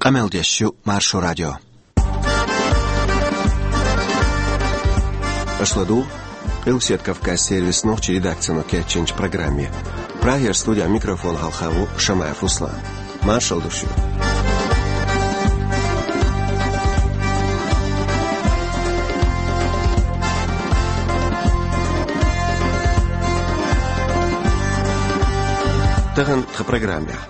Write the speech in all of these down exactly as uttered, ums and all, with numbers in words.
Къамел деш ю Маршо радио. Аша ладугӀу Къилбаседа Кавказ сервисан нохчийн редакцино кечйинчу программе. Прагера студехь микрофон хьалха ву Шамаев Руслан. Маршалла ду шуьга. Тахана тхан программехь.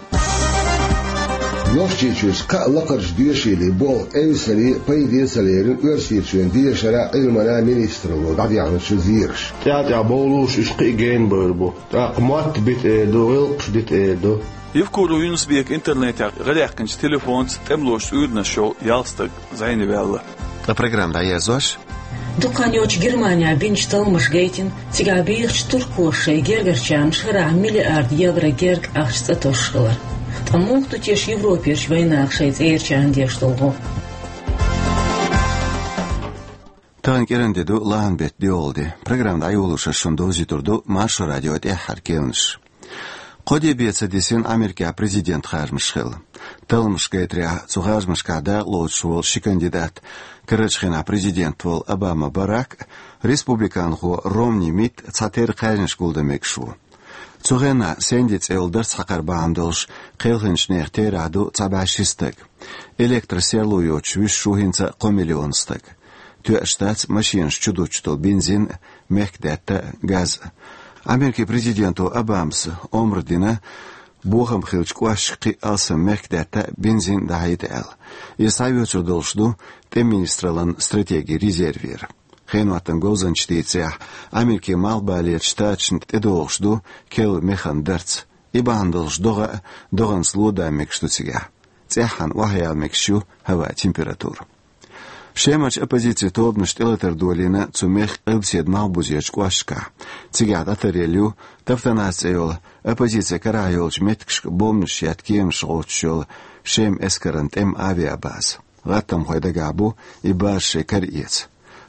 Нохчийчуьра кхаа лакхарчу доьшийлин болх эвсаре пайде а ца лерина Оьрсийчоьнан дешаран а, Ӏилманан а министралло дӀадехначу зераша. ТӀаьхьа-тӀаьхьа бовлуш уьш кхин а гена бевр бу. ТӀаккха мотт бита эр ду, гӀиллакхаш дита эр ду. Евкуров Юнус-Бека интернетехь гӀадаьккхинчу телефонца тӀемалошца уьйранаш йолу ялх стаг зӀене ваьлла. Ткъа программа дӀаерзош. Дукха хан йоццуш Германехь бинчу талламаша гайтина, цигахь бехачу туркоша шайн гергарчарна шарахь миллиард евро герга ахча цӀа тосуш хилар. Ткъа муха ду теша Европерчу вайнаха шайн цӀерачарна деш долу гӀо? Тахана кӀиран де ду, лахьан беттан доьалгӀа де. Программа дӀайолош ас шуна довзуьйтур ду Маршо радион тӀаьххьара керланаш. Кхо де бен ца дисина Америкехь президентан харжамаш хилла. Талламаша гайтарехь, цу харжамашкахь дакъалоцуш волу ши кандидат, карарчу хенахь президент волу Обама Барак а, республиканхо Ромни Митт а цхьатерра кхаьжнаш гулдан мегаш ву. Цу хенахь Сэнди цӀе йолу дарц хьакхар бахьана долуш кхелхинчу нехан терахь ду цхьа бӀе ши стаг. Электросерло йоцуш вуьсуш ву хӀинца а кхо миллион стаг. Тоьаш дац машенаш чу дуттуш долу бензин а, мехкдаьтта а, газ а. Америкин президенто Обамас омра дина, бохам хиллачу кӀошташка кхин а алсам мехкдаьтта а, бензин а дӀахьийта аьлла. Иза схьаоьцур долуш ду тӀеман министраллин стратегин резервера. Хеноттан говзанчаша дийцарехь, Америкин Малхбалерчу Штаташна тӀедогӀуш ду керла механ дарц. И бахьана долуш догӀа а, догӀанца ло а дан мегаш ду цигахь. ЦӀеххьана охьаяла мегаш ю хӀаваан температура. Шемарчу оппозицин тобанаша тӀелатар долийна цу мехкан къилбаседа Малхбузерчу кӀошташкахь. Цигахь дӀатаръелла ю Тафтанас цӀе йолу, оппозицин карахь йолчу меттигашка бомбанаш етта кеманаш гӀовттуш йолу Шеман эскаран тӀеман авиабаза. ГӀаттамхойн дагахь бу и база шайн кара эца.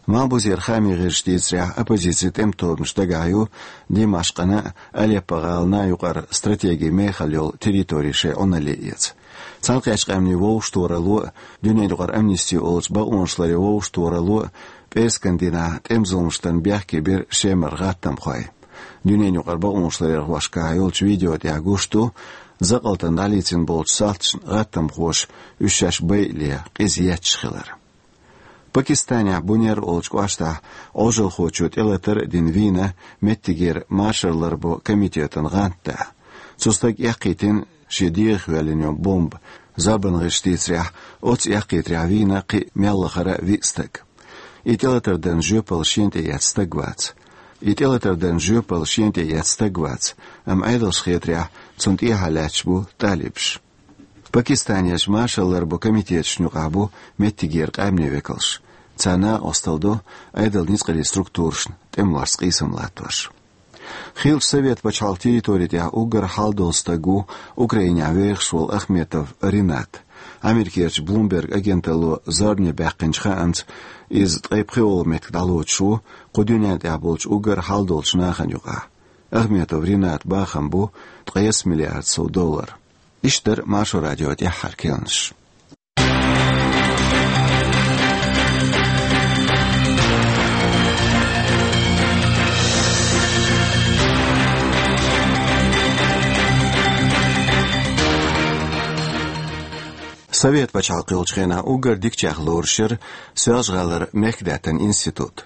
Малхбузера хаамийн гӀирсаша дийцарехь, оппозицин тӀеман тобанаш дагахь ю Димашкъана а, Алеппо-гӀалана а юкъара стратегин мехала йолу территори шайн Ӏуналле эца. Цхьаьнакхеттачу Къаьмнийн вовшахтохаралло а, дуьненан юкъара Амнисти олучу бакъонаш ларъяран вовшахтохаралло а пӀераскан дийнахь тӀеман зуламаш дарна бехке бира Шемара гӀаттамхой. Дуьненан юкъара бакъонаш ларъярхошкахь йолчу видео тӀехь гуш ду, закъалтана дӀалецна болчу салташна гӀаттамхоша уьш шаьш байале, къиза етташ хилар. Пакистанехь Бунер олучу кӀоштахь Ӏожалхочо тӀелатар а дина вийна меттигера машар ларбо комитетан гӀантда. Цу стага эккхийтина шен дегӀах йоьллина йолу бомба. Зорбанан гӀирсаша дийцарехь, оццу эккхийтарехь вийна кхин а мел лахара виъ стаг. И тӀелатар дарна жоьпалла шена тӀеэцна стаг вац. И тӀелатар дарна жоьпалла шена тӀеэцна стаг вац, амма Ӏедалшна хетарехь, цунна тӀехьа лаьтташ бу талибаш. Пакистанерчу машар ларбо комитеташна юкъахь бу меттигера къаьмнийн векалш. Царна накъосталла до Ӏедалан ницкъаллин структурашна тӀемалошца къийсам латтош. Хийрачу Совет пачхьалкхан территори тӀехь уггар хьалдолу стаг ву Украинехь вехаш волу Ахметов Ренат. Америкерчу Bloomberg агенталло зорбане баьккхинчу хаамца, иза ткъе пхоьалгӀа меттиг дӀалоцуш ву кху дуьнен тӀехь болчу уггар хьалдолчу нахана юкъахь. Ахметов Ренатан бахам бу ткъе ялх миллиард сов доллар. Иштта дара Маршо радион тӀаьххьара керланаш. Совет пачхьалкх йолчу хенахь уггар дикачех лоруш яра Соьлжа-ГӀалара мехкдаьттан институт.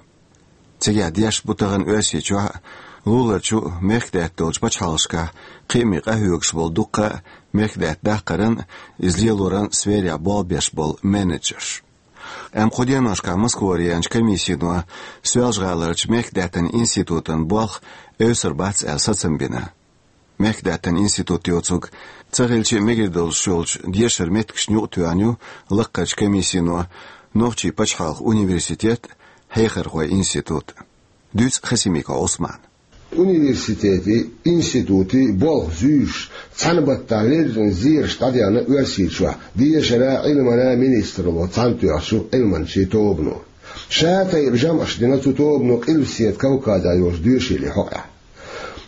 Цигахь дешаш бу тахана Оьрсийчохь а, луларчу а, мехкдаьтта долчу пачхьалкхашкахь кхиаме къахьоьгуш болу дуккха а мехкдаьтта даккхаран а, иза лелоран а сферехь болх беш болу менеджерш. Амма кху деношкахь Москвара яьхначу комиссино Соьлжа-ГӀаларчу мехкдаьттан институтан болх эвсар бац аьлла сацам бина. Мехкдаьттан институт йоцург ца хилча а мегар долуш йолчу дешаран меттигашна юкъа тоьхна ю лакхарчу комиссино нохчийн пачхьалкхан университет а, хьехархойн институт а. Дуьйцу Хасимиков Ӏусмана. Университетий, институтий болх зуьйш, цхьана баттахь леррина зераш дӀадаьхна Оьрсийчохь дешаран а, Ӏилманан а министралло цхьаьнатоьхначу Ӏилманчийн тобано. Ша тайпа жамӀаш дина цу тобано Къилбаседа Кавказехь йолчу доьшийлин хьокъехь.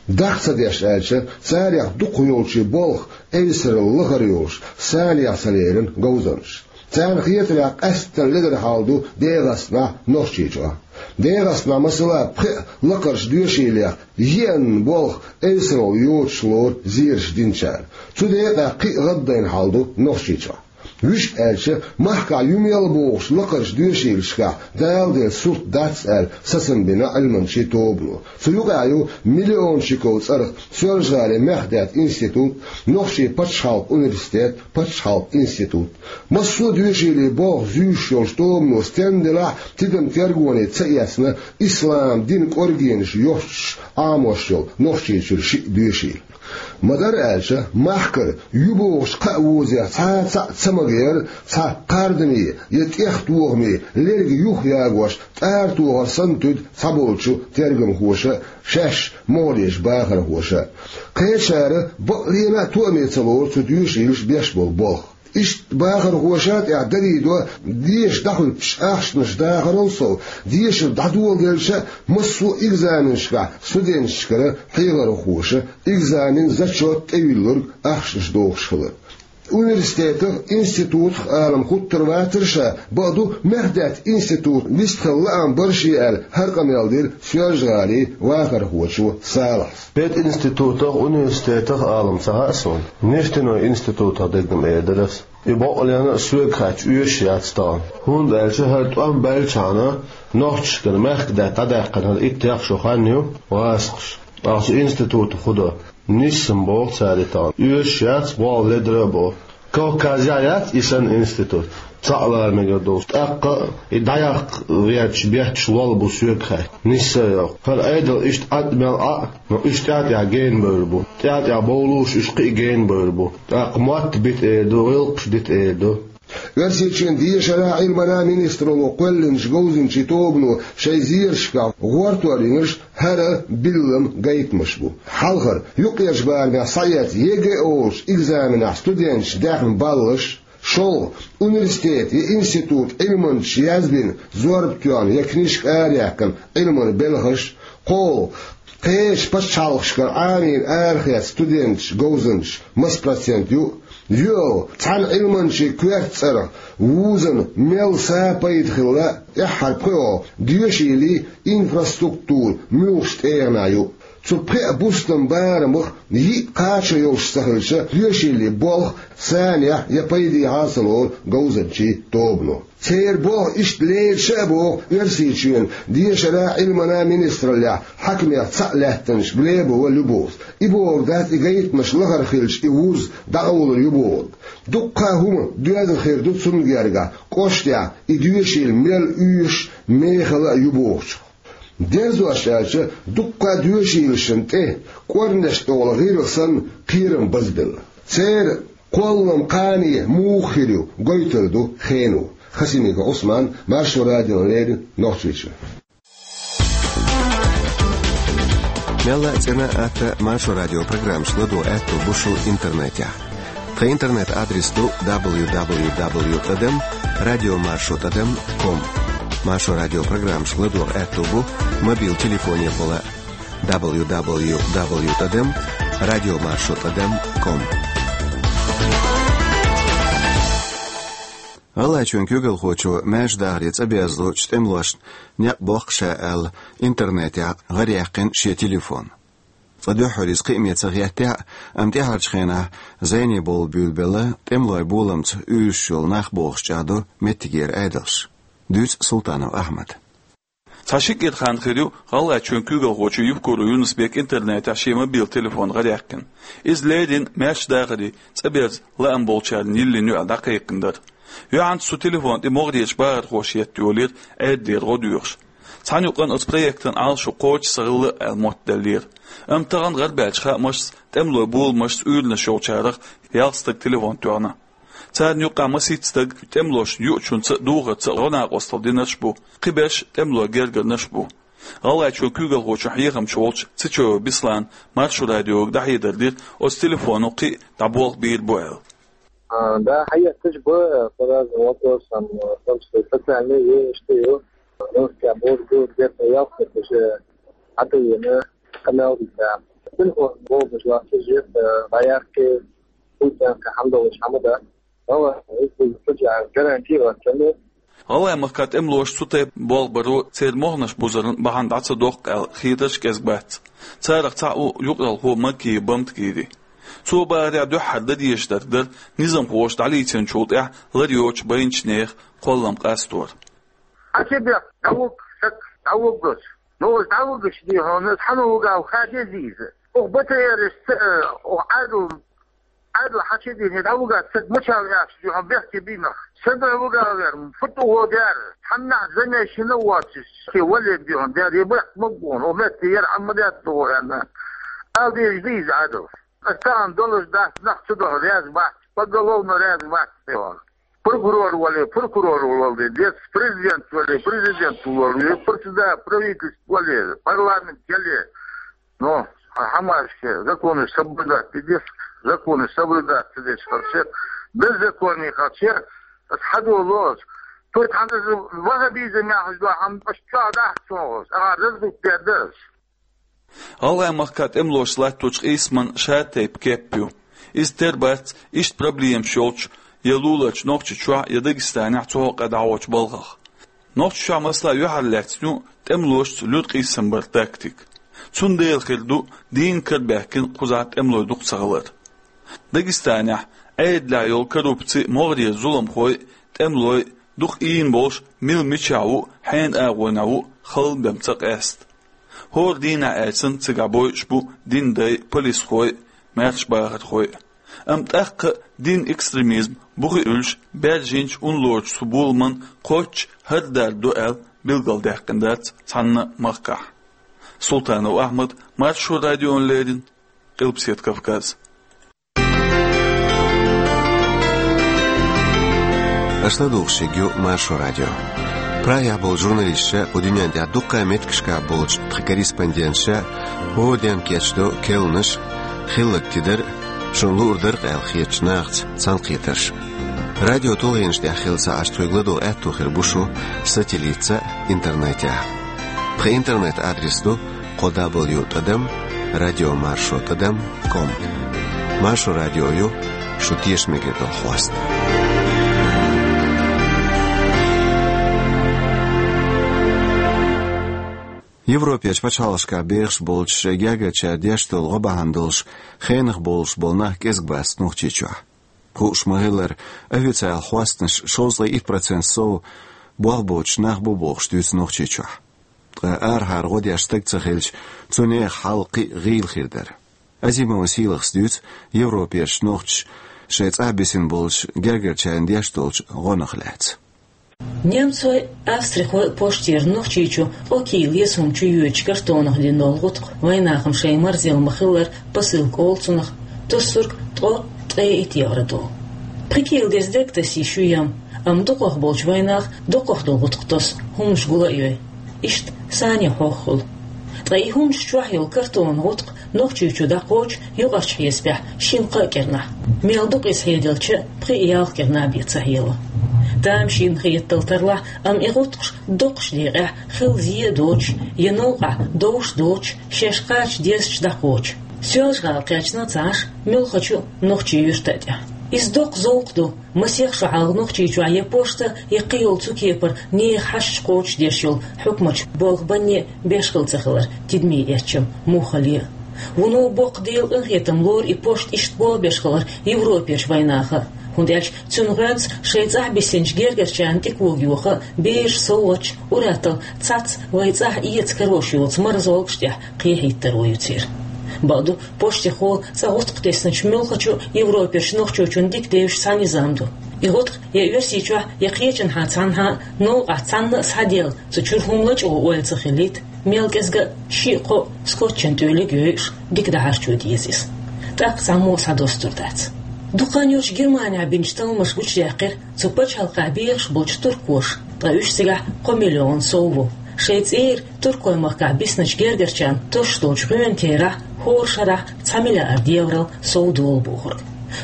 Дакъа ца деш аьлча, царех дукхах йолчу болх эвсарал лахара йолуш санех ца лерина говзанчаш. Царна хетарехь, къаьсттина ледара хьал ду ДегӀастанахь, Нохчийчохь. ДегӀастанахь, масала, пхеа лакхарчу доьшийлех еанна болх эвсарал йоцуш лору зераш динчара. Цу декъехь кхин а гӀаддайна хьал ду Нохчийчохь. Вуьшта аьлча, махкахь ю мел бохучу лакхарчу доьшийлашкахь Дала делла сурт дац аьлла сацам бина Ӏилманчийн тобано. Цу юкъахь ю миллиончиков цӀарах Соьлжа-ГӀалин мехкдаьтта институт, Нохчийн пачхьалкхан университет, пачхьалкхан институт. Массо а доьшийлийн болх зуьйш йолчу тобано стенна делахь а, тидам тергоне ца эцна, ислам динан кӀоргенаш йостуш Ӏамош йолу Нохчийчуьра шиъ доьшийла. Ма-дарра аьлча, махкара ю бохучу кхаа вузех цхьа а цхьаъ ца магийра, цхьа кхардаме я тӀехтохаме лерг юхаягош тӀаратохар санна туьду цхьаболчу тергамхоша, шаьш могӀарерчу бахархоша. Кхечара бакъ лена а тоаме ца лору цу доьшийлаша беш болу болх. Иштта бахархоша тӀехь дарийдо деша дӀахӀуьттуш ахчанаш дахарал сов, дешар дӀадоладелча а, массо а экзаменашкахь студенташкара хьехархоша экзамен, зачет тӀевиллург ахчанаш дохуш хилар. Университетах, институтах алам хуттур вацара ша, бакъду, мехкдаьтта институт вистхила лаам бара шен аьлла, хӀара къамел дира Соьлжа-ГӀалин вахархочо Салахьас. Пединститутах, университетах алам ца хаьа суна. Нефтяной институтах дерг-м эр дара ас. И бакъ лена а соьга хаьттича оьшуш яц тахана. ХӀунда аьлча хӀара тӀом баьллачхьана нохчашкара мехкдаьтта дӀадаьккхина хӀара иттех шо хан ю, гӀазкхаша. Ахьа цу институтах хӀун до? Нисса-м боху цара и тахана. Оьшуш яц, болх ледара а боху. Кавказехь яц и санна институт, цхьаъ лара мегар долуш. ТӀаккха а и дӀаяккха гӀерташ бетташ лол бу соьга хаьттича. Нисса а йоккху. ХӀара Ӏедал иштта Ӏад мел Ӏа а, но уьш тӀаьхьа-тӀаьхьа гена бевр бу. ТӀаьхьа-тӀаьхьа бовлуш уьш кхин а гена бевр бу. ТӀаккха мотт бита эр ду, гӀиллакхаш дита эр ду. Оьрсийчоьнан дешара, Ӏилманан министралло кхоьллинчу говзанчийн тобано шайн зерашкахь гӀортор йинарш хӀара биллам гайтамаш бу. Хьалхара, юккъерчу барамехь схьаэцна ЕГЭ олучу экзаменехь студенташа даьхна баллаш, шолгӀа, университет я институт Ӏилманчаша язбина, зорба тоьхна я книжка араяьккхина Ӏилманан белхаш, кхоалгӀа, кхечу пачхьалкхашкара Ӏамийна арахецна студенташ, говзанчаш маса процент ю, йоьалгӀа, цхьана Ӏилманчин коьрта цӀарах вузана мел са пайда хилла, тӀаьххьара, пхоьалгӀа, доьшийлийн инфраструктура муьлхачу тӀегӀанехь ю. Цу пхеа бустан барамах йиъ кхачо йолуш ца хилча, доьшийлийн болх санехь я пайдехьа а ца лору говзанчийн тобано. Церан болх иштта лерина ша а боху Оьрсийчоьнан дешара, Ӏилманан министраллехь хьаькамех цхьаъ лаьттинчу Глебова Любовс. И бохург дац и гайтамаш лахара хилча и вуз дӀакъовлур ю бохург. Дуккха а хӀума доьзна хир ду цунна гергахь, кӀоштехь и доьшийла мел оьшуш, мехала а ю бохучух. Дерзош аьлча, дуккха а доьшийлашна тӀе кӀорнеш тӀехула гӀиргӀа санна кхерам базбелла. Церан кхоллам кхане муха хир ю, гойтур ду хено. Хасимиков Ӏусман, Маршо радиона леррина, Нохчийчоь. Мелла а цӀена а, атта а Маршо радион программашка ладогӀа аьтто бу шун интернетехь. Тхан интернет-адрес ду дабл ю дабл ю дабл ю тӀадам радиомаршо тӀадам ком. Маршо радион программашка ладогӀа аьтто бу мобил телефонехула дабл ю дабл ю дабл ю тӀадам радиомаршо тӀадам ком. ГӀалгӀайчоьнан куьйгалхочо маьрша дахаре цӀа безлучу тӀемалошна некъ боккху ша аьлла, интернетехь гӀараяьккхина шен телефон. Цкъа дуьххьара иза кхиаме ца хеттехь а, амма тӀаьхьарчу хенахь зене бовла буьйлабелла тӀемалойн боламца уьйраш йолу нах бохуш чӀагӀдо меттигера Ӏедалш. Дуьйцу Султанов Ахьмада. Цхьа ши кӀира хан хир ю, ГӀалгӀайчоьнан куьйгалхочо Евкуров Юнус-Бек интернетехь шен мобил телефон гӀараяьккхина. Иза леррина маьрша дахаре цӀа берза лаам болчарна йиллина юкъа дӀакхайкхина дара. Юьхьанца цу телефон тӀе могӀарерчу бахархоша етта йолийра Ӏедалера гӀо доьхуш. Цхьана юкъана оцу проектан Ӏалашо кхочуш ца хилла аьлла моттаделлера. Амма тахана гӀарабаьллачу хаамашца, тӀемалойн боламашца уьйранаш йолчарах ялх стага телефон тоьхна. Царна юккъехь масийтта стаг тӀемалошна юучунца а, духарца а гӀо-накъосталла динарш бу, кхиберш тӀемалойн гергарнаш а бу. ГӀалгӀайчоьнан куьйгалхочун хьехамча волчу Цечоев Беслана Маршо радиога дӀахьедар дира, оцу телефоно кхин а дӀаболх бийр бу аьлла. А, да, хьаэцнарш бу, по разным вопросам, в том числе социальные, и что ю, русские, бурду, где-то ялх стаг уже хьатаена, къамел дина. Телефон богӀуш вац, жеп, э, дӀаяккхи, пусть хӀама долуш хӀама дан. Ала, хӀуьттуьйту хӀуьттуьйту гарантия вац, ца ма. ГӀалгӀай махкахь тӀемалоша цу тайпа болх баро церан моханаш бузаран бахьана дӀа ца доккху аьлла хетарш кӀезиг бац. Царах цхьаъ ву юкъаралхо Макиев Бамтгири. Цо бахарехь, дуьххьара дан дезаш дерг дара низамхоша дӀалийцинчул тӀаьхьа лар йоцуш байначу нехан кхоллам къастор. Хьан ца бехк, дӀавуг, саг, дӀавуг ас. Ну, ас дӀавугаш ди хьуна, ас хьан вугав ха деза иза. Оха батареяш ца, оха Ӏадал, Ӏадал хьан ца дийна, дӀавугаш саг мачал яхаш ди хьуна бехке бийнах. Саг вугав яр, фу тӀу гӀо дер, хьаннахь замешина воцуш, ке вале ди хьуна дер, я бехк ма бу хьуна, оха метте яр Ӏамма даьтта гӀо аьнна. Ала дезаш ди иза Ӏадал. Ас тахана долуш дац, нах ца доху, раьза бац, поголовно раьза бац, тӀе ван. Прокурор вале, прокурор вале, дец, президент вале, президент вале, председатель правительства вале, парламент яле. Но, а хӀамашке, законы соблюдать дец, законы соблюдать дец, харче, беззаконие харче, ас хьадолу ас. Той тхьана вахабизм яхаш ду, хьан аш чохь дахьа цо ас, ага раздуть дер дас. ГӀалгӀай махкахь тӀемалоша латточу къийсаман шатайпа кеп ю. Иза тера бац, иштта проблемаш йолчу я луларчу Нохчийчохь, я Дагестанехь цу хьокъехь дӀахьочу балхах. Нохчийчохь, масала, юьхьарлаьцна ю тӀемалошца луьра къийсам баран тактика. Цундела хир ду дийна карабаьхкина кхузахь тӀемалой дукха ца хилар. Дагестанехь Ӏедалехь йолу коррупци, могӀарера зуламхой, тӀемалой, дукха ийна болуш, мила мичахь ву, хьенан агӀонехь ву, халла бен ца къаьста. ХӀора дийнахь аьлча санна цигахь бойуш бу динан дай, полисхой, маьрша бахархой. Амма тӀаккха а динан экстремизм бухе уьллуш, баьржинчу, унлорчу цу боламан кхоччуш хӀара дар ду аьлла билгалдаьккхина дац цхьанна а махкахь. Султанов Ахьмад, Маршо радиона леррина, Къилбаседа Кавказ. Аша ладугӀуш ерг ю Маршо радио. Прагехь болчу журналисташа, кху дуьнен тӀехь дуккха а меттигашкахь болчу тхан корреспонденташа хӀора дийнахь кечдо керланаш, хилларг тидар, шуна луур дара-кх аьлла хетачу нахаца цхьаьнакхетарш. Радио тулгӀенаш тӀехь хилла ца Ӏаш, тхоьга ладогӀа аьтто хир бу шун сателлитца а, интернетехь а. Тхан интернет-адрес ду кхо дабл ю тӀадам радио маршо тӀадам ком. Маршо радио ю шу тешаме мегар долу хьоста. Европерчу пачхьалкхашкахь бехаш болчу, шайн гергарчара деш долу гӀо бахьана долуш, хенах болуш болу нах кӀезиг бац Нохчийчохь. Хууш ма-хиллара, официалан хьостанаш шовзткъе итт процент сов болх боцуш нах бу бохуш дуьйцу Нохчийчохь. Ткъа арахьара гӀо деш стаг ца хилча, цу нехан хьал кхин а гӀийла хир дара. Азимова Сийлахас дуьйцу Европерчу нохчаша шайн цӀахь бисина болчу гергарчарна деш долчу гӀонах лаьцна. Немцойн, австрихойн поштера Нохчийчу ткъа кийла еза хӀума чу йоьдучу картонах дина долу гӀутакх, вайнахана шайн марзелла ма-хиллара, посылка олу цунах, тосург ткъо, ткъе итт евро долу. Пхи кийла деза дерг таса йиш ю ям, амма дукхах болчу вайнаха дукхах долу гӀутакх тосу, хӀуманаш гул а йой. Иштта санна хьох хуьлу. Ткъа и хӀуманаш чохь йолу картонан гӀутакх Нохчийчу дӀакхочу юкъарчу хьесапехь шина-кхаа кӀирнахь. Мел дукха иза хьеделча а, пхи-ялх кӀирнахь бен ца хьело. Тамашийна хеталла тарлахь, амма и гӀутакхаш доккхачу декъехь хилла зен а доцуш, я новкъахь довш доцуш, шаьш кхача дезачу дӀакхочу. Соьлжа-ГӀала кхаьчна ца Ӏаш, муьлххачу Нохчийн юьрта тӀехь. Иза доккха зовкх ду, масех шо хьалха Нохчийчохь я пошта, я кхин йолу цу кепара нехан хьашташ кхочушдеш йолу хьукматаш болх банне беш хилла ца хилар, тидаме эцча муххале а. Вуно боккха Делан къинхетам лору и пошта иштта болх беш хилар Европерчу вайнаха а, хӀунда аьлча цуьнан гӀоьнца шайн цӀахь бисинчу гергарчарна тӀе кога йоха а, бераш, совгӀаташ, ур-атталла цхьацца вайн цӀахь эца карош йоцу марзолгаш тӀехь кхехьийтаро ю церан. Бакъду, поштехула цкъа гӀутакх тесначу муьлххачу Европерчу нохчочунна дика девзаш цхьа низам ду. И гӀутакх я Оьрсийчохь, я кхечанхьа цхьанхьа а новкъахь цхьанна а схьаделла, цу чуьра хӀума лачкъо ойла ца хилийта, мел кӀезга а шиъ-кхоъ скотчан тӀоьллиг йойуш, дика дахьарчо деза иза. ТӀаккха цхьаммо а схьадостур дац. Дукха хан йоццуш Германехь бинчу талламаша гучудаьккхира цу пачхьалкхехь бехаш болчу туркоша, ткъа уьш цигахь кхо миллион сов ву. Шайн цӀера Туркойн махкахь бисначу гергарчарна тосуш долчу гӀоьнан терахь хӀора шарахь цхьа миллиард еврол сов долу бохург.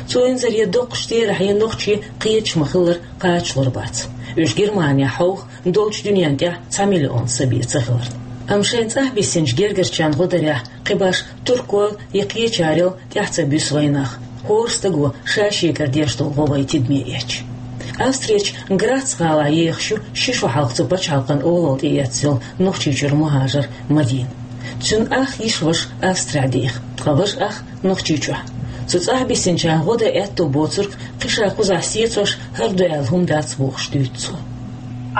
Цу инзаре доккхачу терахье нохчий кхеташ ма-хиллара кхачалур бац. Уьш Германехь хьовха долчу дуьнен тӀехь цхьа миллион са бен ца хиларна. Амма шайн цӀахь бисинчу гергарчарна гӀо дарехь, кхин башха туркойла я кхечарел тӀаьхьа ца буьсу вайнах, хӀора стага ша шегара деш долу гӀо вайн тидаме эцча. Австрерчу Грац гӀалахь ехаш ю ши шо хьалха цу пачхьалкхан олалла тӀеэцна йолу Нохчийчуьра мухӀажар Мадина. Цуьнан ах йиша-ваша Австрехь деха, ткъа важа ах Нохчийчохь. Цу цӀахь бисинчарна гӀо дан аьтто боцург кхин ша кхузахь сецош хӀара ду аьлла хӀума дац бохуш дуьйцу цо.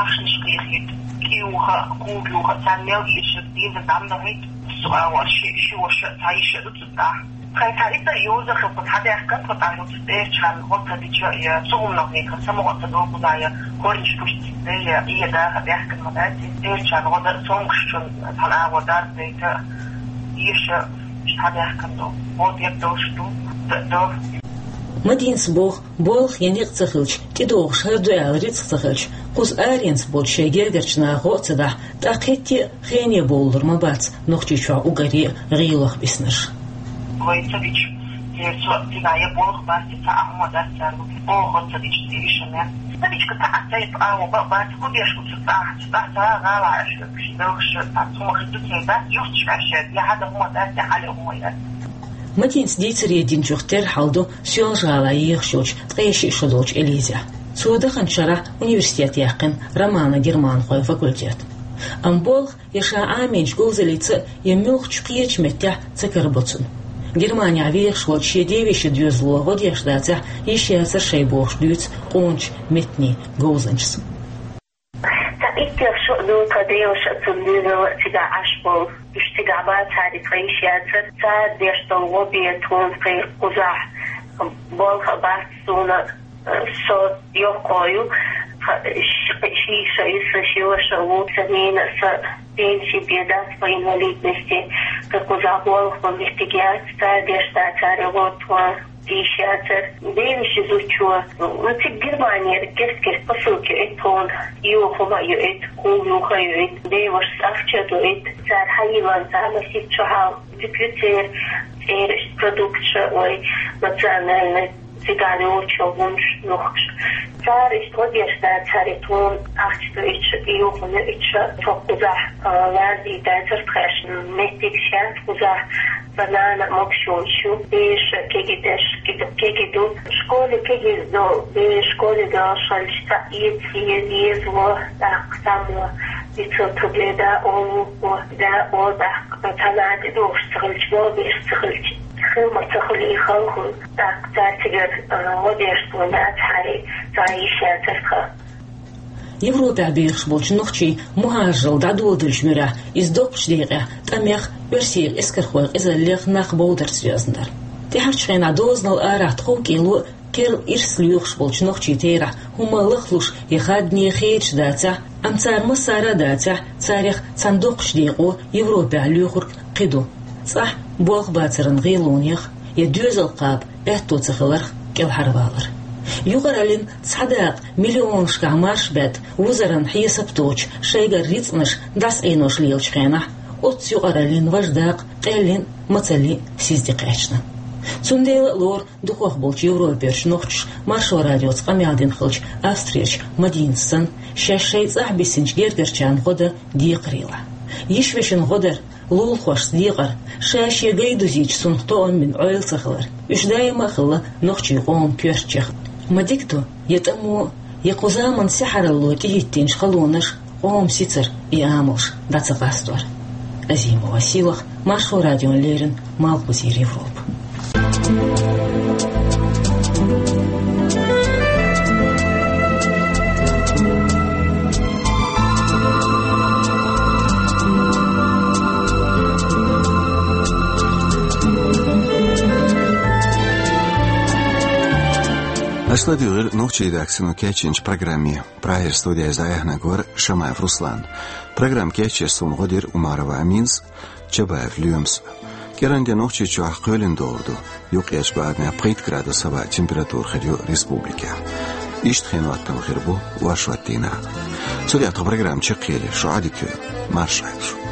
Ахчанаш кхехийта, кӀиюха, кулгаюха, царна мел иша дийна дам дахийта, со а вара ши, ши ваша, цхьа йиша ду цу тӀехь. Тхайн цхьа итар йоза хилла, хьан даьхкина тхо тӀехь, цу тӀерачарна гӀо ца дича, я цу хӀуманах векхар, самукъа ца долу кхузахь, я корнаш пуьстица, я и даха даьхкина ма дац, тӀерачарна гӀо дан, цомгушчун цхьана агӀор дарба дайта, йиша, иштта хьан даьхкина ду, гӀо дерг долуш ду, д-, до. Мадинас боху, болх я некъ ца хилча, тӀедогӀуш хӀара ду аьлла рицкъ ца хилча, кхуза аренца болчу шайн гергарчу наха гӀо а ца дахь, тӀаккха хӀетте а хене бовлур ма бац Нохчийчохь уггаре а гӀийлох биснарш. Вай ца дича, церан цо а цигахь я болх бац, я цхьа а хӀума дац царна, оха ца дича, церан иша мел. Ца дича, цхьа а цайпа агӀо бан а бац, хӀун деш бу цу тӀехь, цу тӀехь ца гӀала аьлла, ши белхаш, цхьа хӀума хир ду церан дац, юхташ аьлла, я хьада хӀума дац, я хьале хӀума яц. Мадинас дийцаре динчух терра хьал ду Соьлжа-ГӀалахь ехаш йолчу ткъе шиъ шо долчу Элизехь. Цо даханчу шарахь университет яьккхина романо-германхойн факультет. Амма болх я ша Ӏамийначу говзаллица а, я муьлххачу кхечу меттехь ца карабо цунна. Германехь вехаш волчу шен девешин доьзало гӀо деш дацахь, йиш яцара шайн бохуш дуьйцу къоначу меттанийн говзанчас. Цхьа иттех шо а ду тхан деваша а, цуьнан доьзал а цигахь Ӏаш болу. Уьш цигахь бацахьара, тхан йиш яцара. Цара деш долу гӀо бен тхуна кхин кхузахь болх а бац суна, со йоккхо ю. Ш-, ши йиша ю сан, ши ваша ву сан, нана а сан пенси бен дац по инвалидности. Кхин кхузахь болх бан меттиг яц, цара деш дацахьара гӀо тхуна. Йиш яцара. Девешин зудчо, ну, цига Германера герт-герт посылка йоуьйту тхуна, юха хӀума а йоуьйту, кулгаюха а йоуьйту, девашас ахча а доуьйту, цара хьайиллина цхьа масийтта шо хьалха, дика ю церан, церан продукташ а, вай национальный, цигахь йолчу хӀуманаш, нохчаша. Цара иштта гӀо деш дацахьара тхуна, ахча доуьйтуш а, юха хӀума йоуьйтуш а, тхо кхузахь, а, лардийта дацара тхаьш, меттигаш яц кхузахь. Сан нана а могуш йолуш ю, бераш а кегий деш, кегий ду. Школе кегийриг ду, бераш школе доьлхуш хилча, цхьа эца еза, еза во, тӀаккха цхьаммо дицо, ту бен да олу, во, да олу, тӀаккха цхьа нана тӀедогӀуш ца хилча, во, бераш ца хилча, хила ма ца хуьлий хала хӀума, тӀаккха цара цигара, а, гӀо деш тхуна дацахьара, цхьа йиш яцара тхан. Европехь бехаш болчу нохчийн мухӀажаралла дӀадоладалчу муьрехь, иза доккхачу декъехь тӀамех, оьрсийн эскархойн къизаллех нах бовдарца доьзна дара. ТӀаьхьарчу хенахь дозанал арахь тхов кӀело а, керла ирс лоьхуш болчу нохчийн терахь хӀумма лахлуш я хадане хедаш дацахь, амма цара массара а дацахь, царех цхьана доккхачу декъо Европехь лоьхург кхин ду. ЦӀахь болх бацаран гӀелонех я доьзал кхаба аьтто ца хиларх кӀелхьарвалар. Юкъараллин цхьа дакъа миллионашкахь марш баьдда, вузаран хьесап доцуш, шайгара рицкъанаш дӀасаӀенош лелачу хенахь, оццу юкъараллин важа дакъа къеллин а, мацаллин а сиз тӀекхаьчна. Цундела а лору дукхах болчу Европерчу нохчаша Маршо радиоца къамел дина хиллачу Австрерчу Мадинас санна, шаьш шайн цӀахь бисинчу гергарчарна гӀо дан декхарийлахь. Йиш-вешин гӀо дар, лулахошца декъар, ша-шен гай дузийча цунах тоам бина Ӏойла ца хилар, уьш даима а хилла нохчийн къоман коьртачех. Ма дика ду, я тӀамо, я кху заманан сихьаралло тӀехӀиттинчу халонаш къоман сицар и амалш дӀа ца къастор. Азимова Силах, Маршо радиона леррина, Малхбузера Европа. Аша ладуьйгӀира нохчийн редакцино кечйинчу программе. Прагера студехь иза дӀаяьхьнарг вара Шамаев Руслан. Программа кечъеш суна гӀо дира Умарова Аминас, Чабаев Лоьмас. КӀиранде Нохчийчохь кхоьлина догӀур ду. Юккъерчу бахархой пхийтта градус хӀаваан температура хир ю республикехь. Иштта хин хаттам хир бу оршот дийнахь. Цу тӀехь тхан программа чекхъели, шу Ӏадика йойла. Марша Ӏойла шу.